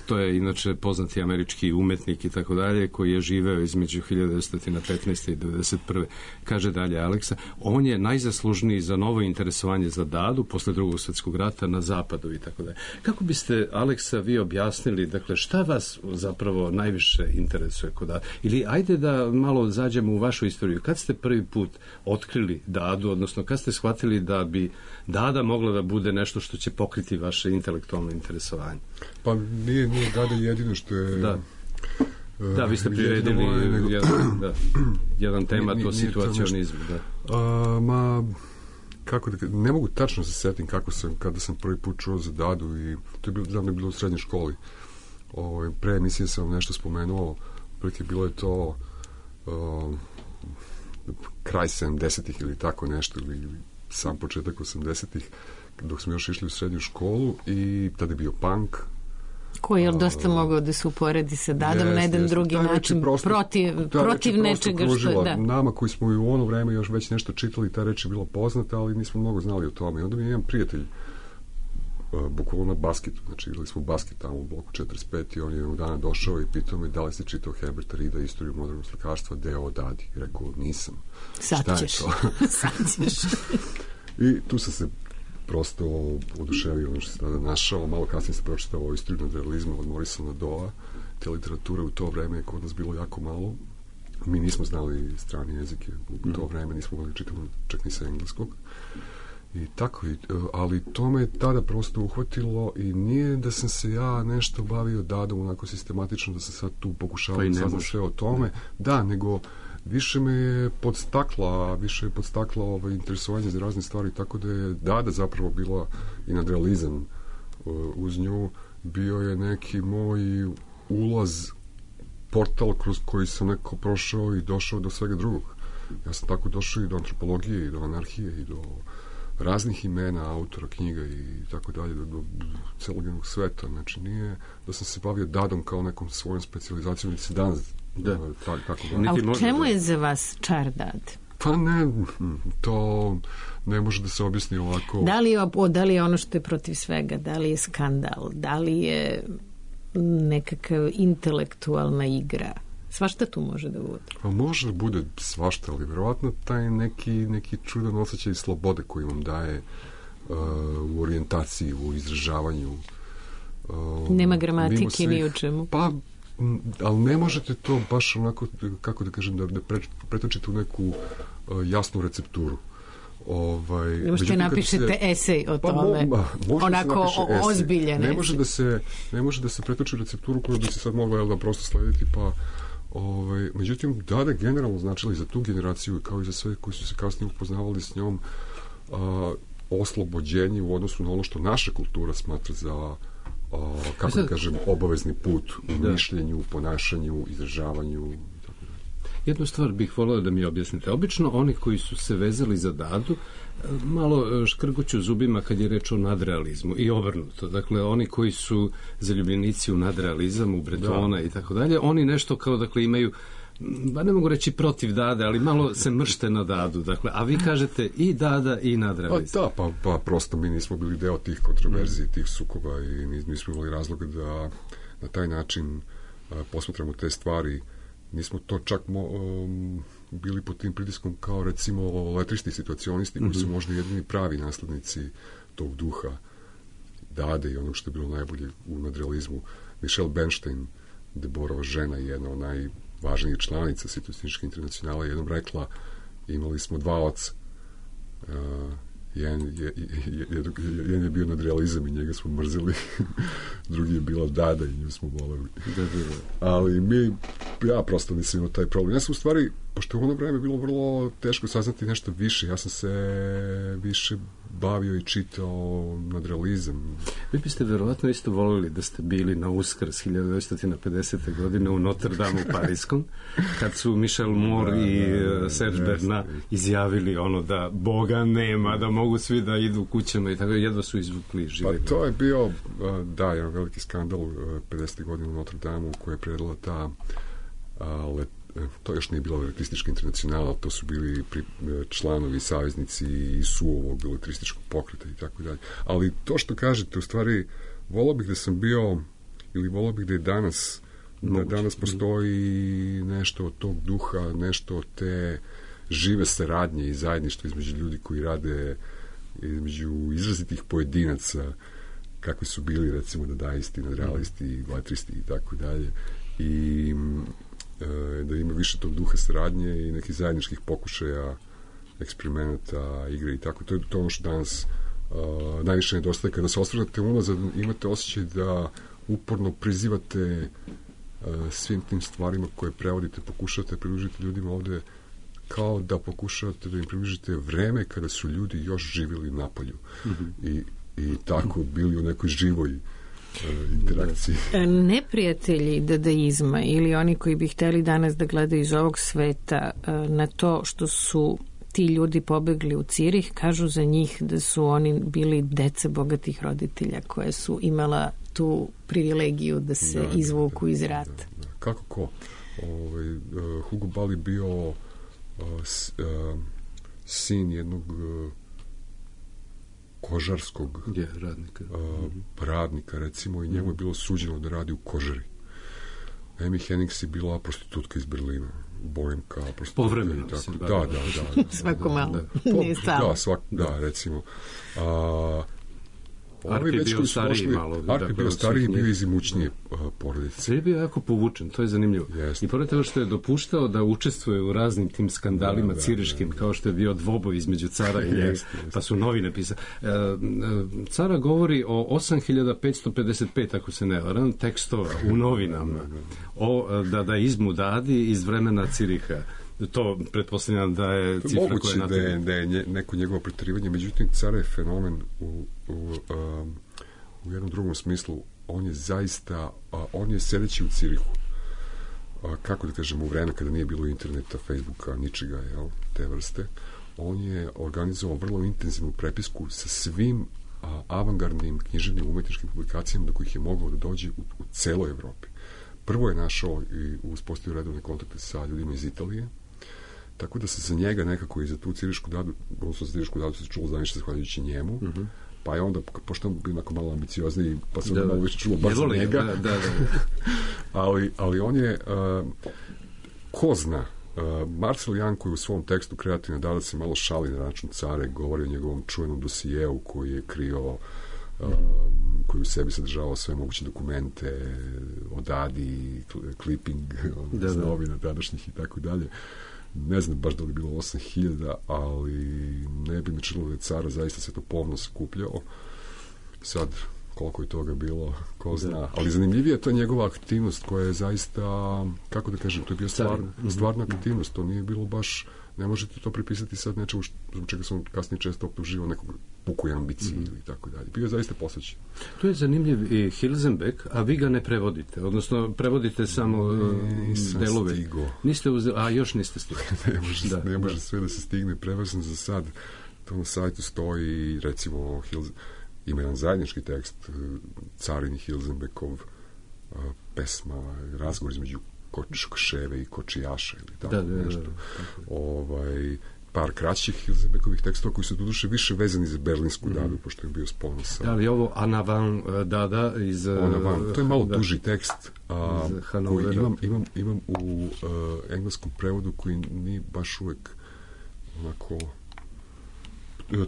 to je inače poznati američki umetnik i tako dalje, koji je živeo između 1915. i 1991. Kaže dalje Aleksa, on je najzaslužniji za novo interesovanje za dadu posle Drugog svjetskog rata na zapadu i tako dalje. Kako biste, Aleksa, vi objasnili, dakle, šta vas zapravo najviše interesuje kod dada? Ili ajde da malo zađemo u vašu istoriju. Kad ste prvi put otkrili dadu, odnosno kad ste shvatili da bi dada mogla da bude nešto što će pokriti vaše intelektualno interesovanje? Pa nije dada jedino što je... Da, vi ste priredili jedan tema, to situacionizmu. Kako da, ne mogu tačno se setim kada sam prvi put čuo za dadu i to je bilo u srednjoj školi. Pre emisije sam vam nešto spomenuo, prilike bilo je to kraj 70-ih ili tako nešto, ili sam početak 80-ih, dok smo još išli u srednju školu i tada je bio punk. Koji je dosta mogao da se uporedi sa dadom na jedan drugi način, protiv nečega što je... Da. Nama koji smo i u ono vreme još već nešto čitali, ta reč je bila poznata, ali nismo mnogo znali o tome. I onda mi je jedan prijatelj bukvalno na basketu, znači igrali smo basket tamo u bloku 45 i on je jednog dana došao i pitao me da li si čitao Herberta Reeda, Istoriju modernog slikarstva, deo o dadi. Rekao, nisam. Sad ćeš. I tu sam se prosto oduševio ono što se tada našao. Malo kasnije sam pročitao o Istoriju nadrealizma od Morisona Doa. Te literature u to vreme je kod nas bilo jako malo. Mi nismo znali strane jezike u to vreme, nismo mogli čitati čak ni sa engleskog. I tako, ali to me tada prosto uhvatilo i nije da sam se ja nešto bavio dadom onako sistematično, da sam sad tu pokušao da saznam sve o tome. Da, nego više me je podstakla interesovanje za razne stvari, tako da je dada zapravo bila i nadrealizam uz nju, bio je neki moj ulaz, portal kroz koji sam neko prošao i došao do svega drugog. Ja sam tako došao i do antropologije i do anarhije i do raznih imena, autora, knjiga i tako dalje, do celog jednog sveta. Znači, nije da sam se bavio dadom kao nekom svojom specijalizacijom, ili se danas A u čemu je za vas čar dad? Pa ne, to ne može da se objasni ovako. Da li je ono što je protiv svega, da li je skandal, da li je nekakav intelektualna igra? Svašta tu može da bude. Pa može da bude svašta, ali verovatno taj neki čudan osjećaj slobode koji vam daje u orijentaciji, u izražavanju. Nema gramatike ni u čemu. Pa, ali ne možete to baš onako, kako da kažem, da pretočite u neku jasnu recepturu. Možete napišete esej o tome, onako ozbiljen. Ne može da se pretoči u recepturu koju bi se sad mogla da prosto slediti, pa Međutim, Dada generalno značila i za tu generaciju, kao i za sve koji su se kasnije upoznavali s njom, oslobođenje u odnosu na ono što naša kultura smatra za kako da kažem, obavezni put u mišljenju, ponašanju, izražavanju. Jednu stvar bih volio da mi objasnite. Obično oni koji su se vezali za Dadu malo škrguću zubima kad je reč o nadrealizmu i obrnuto. Dakle, oni koji su zaljubljenici u nadrealizam, u Bretona i tako dalje, oni nešto kao, dakle, imaju, ne mogu reći protiv Dade, ali malo se mršte na Dadu. Dakle, a vi kažete i Dada i nadrealizam. Pa prosto mi nismo bili deo tih kontroverzija, tih sukoba i nismo imali razloga da na taj način posmatramo te stvari. Nismo to čak bili pod tim pritiskom kao recimo letristi situacionisti koji su možda jedini pravi naslednici tog duha Dade i onog što je bilo najbolje u nadrealizmu. Michelle Bernstein, Deborova žena, jedna od najvažnijih članica Situacionističke internacionale, jednom rekla, imali smo dva oca. Jedan je bio nadrealizam i njega smo mrzili, drugi je bila Dada i nju smo voleli. Ali ja prosto nisam imao taj problem. Ja sam u stvari, pošto u ono vreme bilo vrlo teško saznati nešto više, ja sam se više bavio i čitao nadrealizam. Vi biste verovatno isto volili da ste bili na Uskrs 1950. godine u Notre Dame u Pariskom, kad su Michel Moore i Serge Bernat izjavili ono da Boga nema, da mogu svi da idu kućama i tako, jedva su izvukli živi. Pa to je bio, jedan veliki skandal 50. godine u Notre Dame koji je predala ta to još nije bila letristička internacionala, to su bili članovi, saveznici i suovog letrističkog pokreta i tako dalje. Ali to što kažete, u stvari, volao bih da sam bio, ili volao bih da je danas, da danas postoji nešto od tog duha, nešto od te žive saradnje i zajedništva između ljudi koji rade, između izrazitih pojedinaca, kakvi su bili, recimo, dadaisti, nadrealisti, letristi i tako dalje. I da ima više tog duha saradnje i nekih zajedničkih pokušaja, eksperimenata, igre i tako. To je to ono što danas najviše nedostaje. Kada se osvrnete unazad, imate osjećaj da uporno prizivate svim tim stvarima koje prevodite, pokušavate približiti ljudima ovde, kao da pokušavate da im približite vreme kada su ljudi još živjeli napolju i tako bili u nekoj živoj interakciji. Neprijatelji dadaizma ili oni koji bi hteli danas da gledaju iz ovog sveta na to što su ti ljudi pobegli u Cirih, kažu za njih da su oni bili deca bogatih roditelja koje su imala tu privilegiju da se izvuku iz rata. Kako ko? Hugo Ball je bio sin jednog kožarskog radnika, recimo, i njemu je bilo suđeno da radi u kožari. Amy Hennings je bila prostitutka iz Berlina, Boemka, prostitutka. Povremeno se bavila. Da. Svako malo, nije stalo. Da, recimo. Arp je bio stariji malo. Arp je bio stariji i bio iz imućnije porodice. Sve je bio jako povučen, to je zanimljivo. I pored toga što je dopuštao da učestvuje u raznim tim skandalima ciriškim, kao što je bio dvoboj između cara i njega, pa su novine pisali. Cara govori o 8555, ako se ne varam, tekstova u novinama o dadaizmu Dadi iz vremena Ciriha. To pretpostavljam da je cifra koja je napravljena. Moguće da je neko njegovo preterivanje, međutim, cara je fenomen u jednom drugom smislu. On je zaista, on je sedeći u Cirihu, kako da kažem, u vreme kada nije bilo interneta, Facebooka, ničega, te vrste, on je organizovao vrlo intenzivnu prepisku sa svim avangardnim književnim umetničkim publikacijama do kojih je mogao da dođe u celoj Evropi. Prvo je našao i uspostavio redovne kontakte sa ljudima iz Italije, tako da se za njega nekako i za tu Cirišku Dadu, odnosno za Cirišku Dadu se čulo za nešto zahvaljujući njemu, pa je onda, pošto on bio onako malo ambiciozniji, pa se onda malo više čulo baš za njega. Ali on je, ko zna, Marcel Jan, koji u svom tekstu Kreativna Dada se malo šali na račun care, govori o njegovom čuvenom dosijeu koji je krio, koji u sebi sadržavao sve moguće dokumente o Dadi, clipping iz novina tadašnjih i tako dalje. Ne znam baš da li je bilo 8000, ali ne bi mi činilo da je cara zaista se to pomno sakupljao. Sad, koliko je toga bilo, ko zna. Ali zanimljivija je ta njegova aktivnost koja je zaista, kako da kažem, to je bio stvarna aktivnost, to nije bilo baš, ne možete to pripisati sad nečemu zbog čega sam kasnije često optuživao nekog pukoj ambiciji ili tako dalje. Bio je zaista posvećen. Tu je zanimljiv i Hilsenbeck, a vi ga ne prevodite, odnosno prevodite samo delove. Niste uzeli, a još niste stigli. ne može sve da se stigne, prevezan za sad. To na sajtu stoji, recimo, ima jedan zajednički tekst, Carin i Hilsenbeckov pesma, razgovor između Kočeve i Kočijaša ili tako nešto. Par kraćih Hilsenbeckovih tekstova koji su doduše više vezani za berlinsku dadu, pošto je bio spon sa... Da li ovo Anavan dada iz... Anavan, to je malo duži tekst koji imam u engleskom prevodu koji nije baš uvek onako...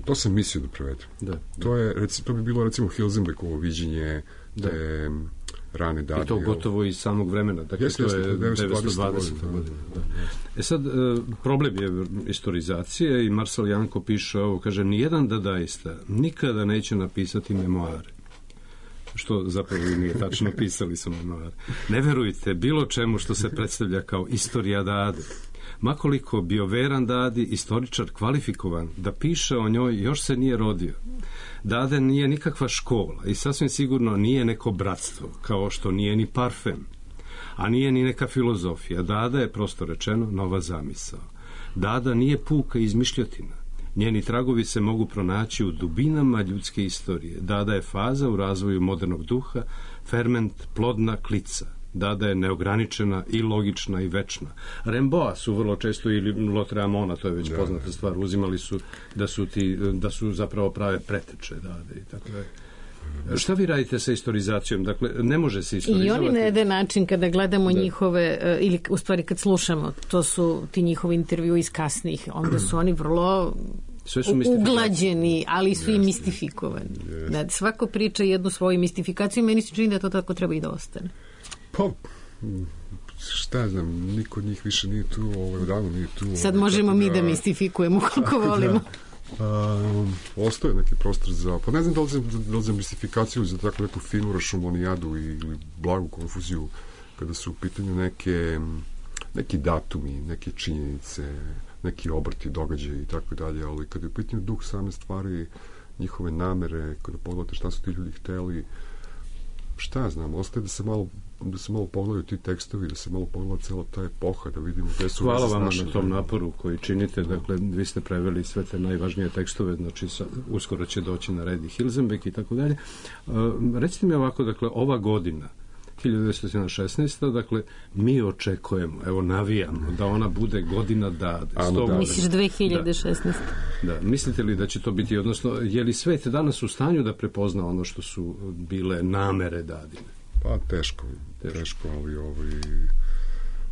To sam mislio da prevedem. To bi bilo recimo Hilsenbeckovo viđenje te rane dade. I to gotovo iz samog vremena. Dakle, to je 920. godina. Sad, problem je istorizacije i Marcel Janko piše ovo, kaže, nijedan dadaista nikada neće napisati memoare. Što zapravo nije tačno, pisali su memoare. Ne verujte bilo čemu što se predstavlja kao istorija dade. Makoliko bio veran dadi, istoričar kvalifikovan da piše o njoj, još se nije rodio. Dade nije nikakva škola i sasvim sigurno nije neko bratstvo, kao što nije ni parfem, a nije ni neka filozofija. Dada je, prosto rečeno, nova zamisao. Dada nije puka izmišljotina. Njeni tragovi se mogu pronaći u dubinama ljudske istorije. Dada je faza u razvoju modernog duha, ferment, plodna klica. Dada je neograničena i logična i večna. Rimbaud su vrlo često, ili Lautréamont, to je već poznata stvar, uzimali su da su zapravo prave preteče Dade i tako dalje. Šta vi radite sa istorizacijom? Dakle, ne može se istorizovati. I oni na jedan način kada gledamo njihove, ili u stvari kad slušamo, to su ti njihovi intervju iz kasnih, onda su oni vrlo uglađeni, ali su i mistifikovani. Da, svako priča jednu svoju mistifikaciju i meni se čini da to tako treba i da ostane. Pa, šta znam, niko od njih više nije tu, odavno nije tu. Sad možemo mi da mistifikujemo koliko volimo. Ostaje neki prostor za, pa ne znam da li za mistifikaciju, za tako neku finu rašumonijadu ili blagu konfuziju, kada su u pitanju neki datumi, neke činjenice, neki obrti, događaji i tako dalje, ali kada je u pitanju duh same stvari, njihove namere, kada pogledate šta su ti ljudi hteli, šta znam, ostaje da se malo pogledaju ti tekstovi, da se malo pogleda cela ta epoha, da vidimo gde su... Hvala vam na tom naporu koji činite, dakle, vi ste preveli sve te najvažnije tekstove, znači uskoro će doći na red i Hilsenbeck i tako dalje. Recite mi ovako, dakle, ova godina, 1916. Dakle, mi očekujemo, evo navijamo, da ona bude godina Dade. Misliš 2016. Da. Mislite li da će to biti, odnosno, je li svet danas u stanju da prepozna ono što su bile namere Dadine? Pa teško, ali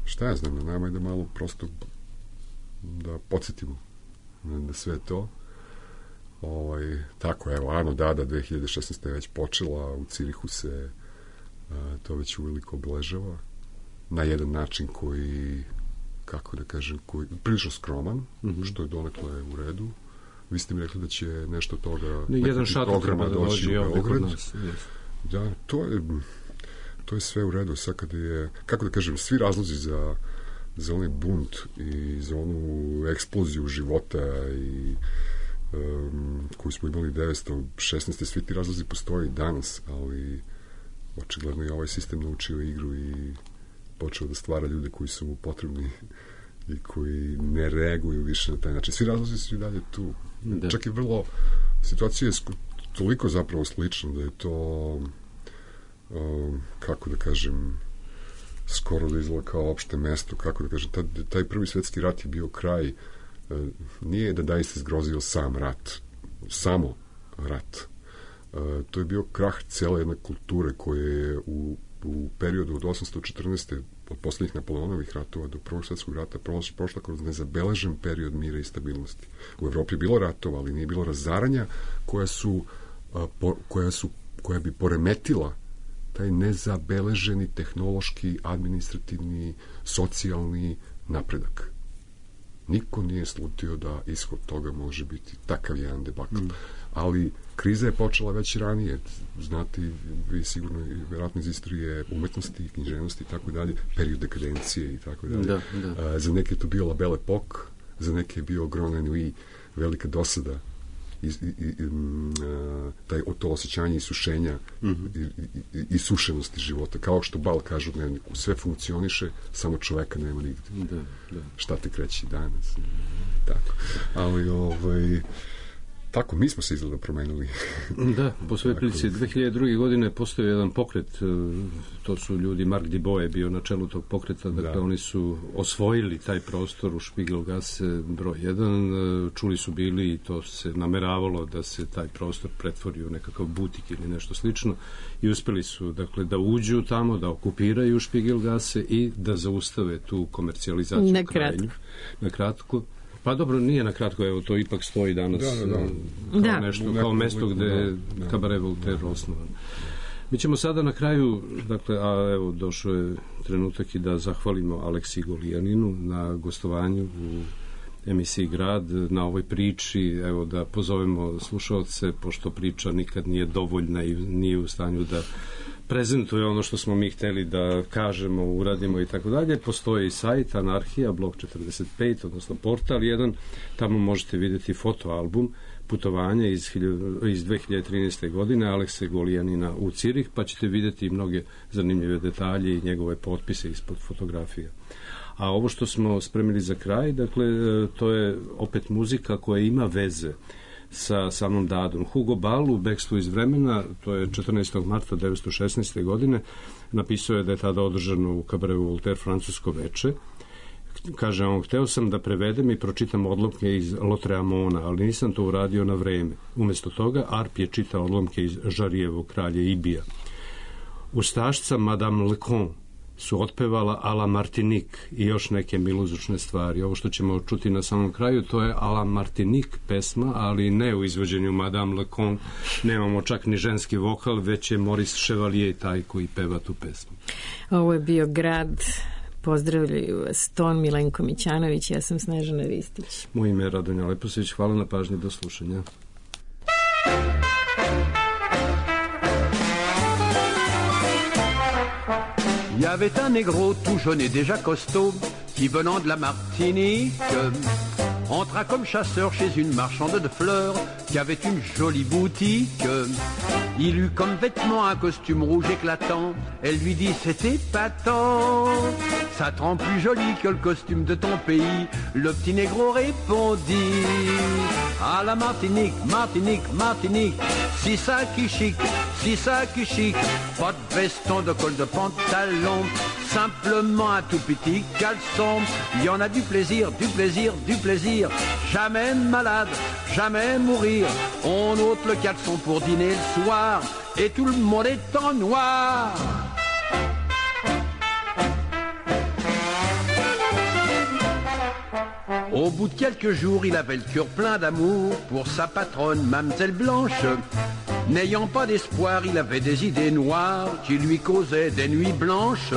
šta ja znam, nama je da malo prosto da podsjetimo na sve to. Tako, evo, Ano Dada 2016. je već počela, u Cirihu se to već uveliko obeležava na jedan način koji, kako da kažem, koji prilično skroman, što je donekle u redu. Vi ste mi rekli da će nešto toga, jedan programa doći u Beograd. Da, to je sve u redu. Sad kada je, kako da kažem, svi razlozi za onaj bunt i za onu eksploziju života i koju smo imali 1916. Svi ti razlozi postoje i danas, ali očigledno je ovaj sistem naučio igru i počeo da stvara ljude koji su mu potrebni i koji ne reaguju više na taj način. Svi razlozi su i dalje tu. Čak i vrlo, situacija je toliko zapravo slična da je to kako da kažem, skoro da izgleda kao opšte mesto, kako da kažem, taj prvi svetski rat je bio kraj, nije da daista zgrozio sam rat, samo rat. To je bio krah cele jedne kulture koje je u periodu od 814. od poslednjih Napoleonovih ratova do Prvog svetskog rata prošla kroz nezabeležen period mira i stabilnosti. U Evropi je bilo ratova, ali nije bilo razaranja koja bi poremetila taj nezabeleženi tehnološki, administrativni, socijalni napredak. Niko nije slutio da ishod toga može biti takav jedan debakl. Ali kriza je počela već ranije. Znate, vi sigurno i vjerojatno iz istorije umetnosti, književnosti i tako dalje, period dekadencije i tako dalje. Za neke je to bio La Belle Époque, za neke je bio Grand Ennui, velika dosada, to osjećanje isušenja i sušenosti života. Kao što Bal kaže u dnevniku, sve funkcioniše, samo čoveka nema nigde. Šta te kreći danas? Tako. Ali, tako, mi smo se izgleda promenili. Da, po svojoj prilici. 2002. godine postoji jedan pokret, to su ljudi, Mark Dubois je bio na čelu tog pokreta, dakle oni su osvojili taj prostor u Spiegelgasse broj 1, čuli su bili i to se nameravalo da se taj prostor pretvori u nekakav butik ili nešto slično i uspeli su, dakle, da uđu tamo, da okupiraju Spiegelgasse i da zaustave tu komercijalizaciju krajnju. Na kratko. Pa dobro, nije na kratko, evo, to ipak stoji danas kao nešto, kao mesto gde je Cabaret Voltaire osnovan. Mi ćemo sada na kraju, dakle, a evo, došao je trenutak i da zahvalimo Aleksi Golijaninu na gostovanju u emisiji Grad, na ovoj priči, evo, da pozovemo slušalce, pošto priča nikad nije dovoljna i nije u stanju da prezentuje ono što smo mi hteli da kažemo, uradimo i tako dalje. Postoji sajt Anarhija, blog 45, odnosno portal 1, tamo možete vidjeti fotoalbum Putovanja iz 2013. godine Alekse Golijanina u Cirih, pa ćete vidjeti mnoge zanimljive detalje i njegove potpise ispod fotografija. A ovo što smo spremili za kraj, dakle, to je opet muzika koja ima veze sa samom dadom. Hugo Ball u Bekstvu iz vremena, to je 14. marta 1916. godine, napisao je da je tada održano u Cabaretu Voltaire francusko veče. Kaže on, hteo sam da prevedem i pročitam odlomke iz Lautréamonta, ali nisam to uradio na vreme. Umjesto toga, Arp je čitao odlomke iz Žarijevog kralje Ibija. Ustašca Madame Lecon su otpevala a la Martinique i još neke miluzručne stvari. Ovo što ćemo čuti na samom kraju, to je a la Martinique pesma, ali ne u izvođenju Madame Lecon. Nemamo čak ni ženski vokal, već je Maurice Chevalier taj koji peva tu pesmu. Ovo je bio Grad. Pozdravljaju vas Ton Milenko Mićanović, ja sam Snežana Ristić. Moje ime je Radonja Leposević, hvala na pažnji, do slušanja. Il y avait un négro tout jaune et déjà costaud qui, venant de la Martinique, entra comme chasseur chez une marchande de fleurs qui avait une jolie boutique. Il eut comme vêtement un costume rouge éclatant. Elle lui dit c'est épatant, ça te rend plus joli que le costume de ton pays. Le petit négro répondit à la Martinique, Martinique, Martinique, si ça qui chic, si ça qui chic. Pas de veston, de col, de pantalon, simplement un tout petit caleçon. Il y en a du plaisir, du plaisir, du plaisir. Jamais malade, jamais mourir. On ôte le caleçon pour dîner le soir et tout le monde est en noir. Au bout de quelques jours, il avait le cœur plein d'amour pour sa patronne, Mamselle Blanche. N'ayant pas d'espoir, il avait des idées noires qui lui causaient des nuits blanches.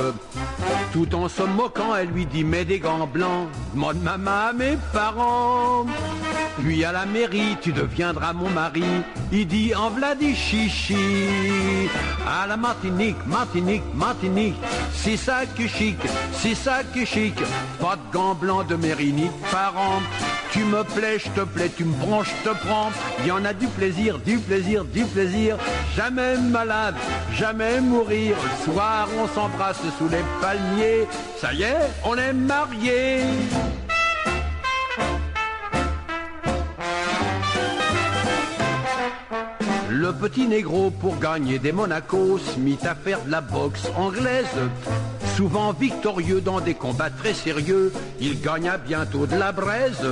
Tout en se moquant, elle lui dit « Mets des gants blancs, demande maman à mes parents. Puis à la mairie, tu deviendras mon mari. » Il dit « En v'là des chichis. » À la Martinique, Martinique, Martinique, c'est ça qui est chic, c'est ça qui est chic. Pas de gants blancs de mairie ni de parents. Tu me plais, je te plais, tu me prends, je te prends. Il y en a du plaisir, du plaisir, du plaisir. Jamais malade, jamais mourir. Le soir, on s'embrasse sous les palmiers. Ça y est, on est mariés. Le petit négro, pour gagner des Monaco, se mit à faire de la boxe anglaise. Souvent victorieux dans des combats très sérieux, il gagna bientôt de la braise.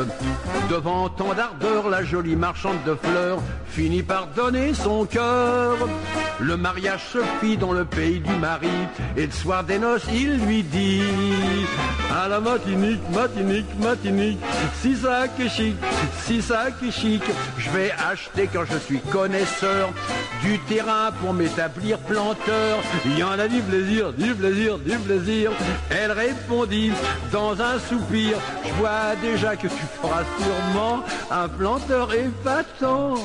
Devant tant d'ardeur, la jolie marchande de fleurs finit par donner son cœur. Le mariage se fit dans le pays du mari, et le soir des noces, il lui dit à la Martinique, Martinique, Martinique, si ça qui est chic, si ça qui est chic, je vais acheter quand je suis connaisseur du terrain pour m'établir planteur. Il y en a du plaisir, du plaisir, du plaisir. plaisir. Elle répondit dans un soupir, je vois déjà que tu feras sûrement un planteur épatant.